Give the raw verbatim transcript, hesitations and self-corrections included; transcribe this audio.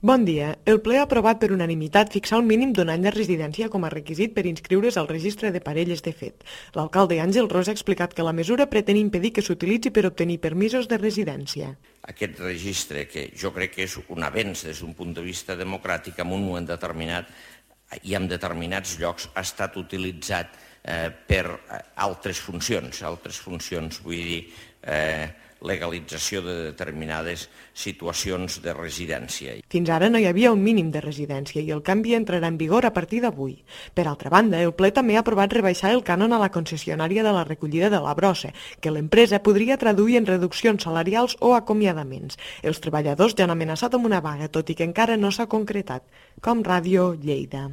Bon dia. El ple ha aprovat per unanimitat fixar un mínim d'un any de residència com a requisit per inscriure's al registre de parelles de fet. L'alcalde Àngel Ros ha explicat que la mesura pretén impedir que s'utilitzi per obtenir permisos de residència. Aquest registre, que jo crec que és un avenç des d'un punt de vista democràtic, en un moment determinat i en determinats llocs ha estat utilitzat eh, per altres funcions, altres funcions, vull dir, eh, legalització de determinades situacions de residència. Fins ara no hi havia un mínim de residència i el canvi entrarà en vigor a partir d'avui. Per altra banda, el ple també ha aprovat rebaixar el cànon a la concessionària de la recollida de la brossa, que l'empresa podria traduir en reduccions salarials o acomiadaments. Els treballadors ja han amenaçat amb una vaga, tot i que encara no s'ha concretat. Com Ràdio Lleida.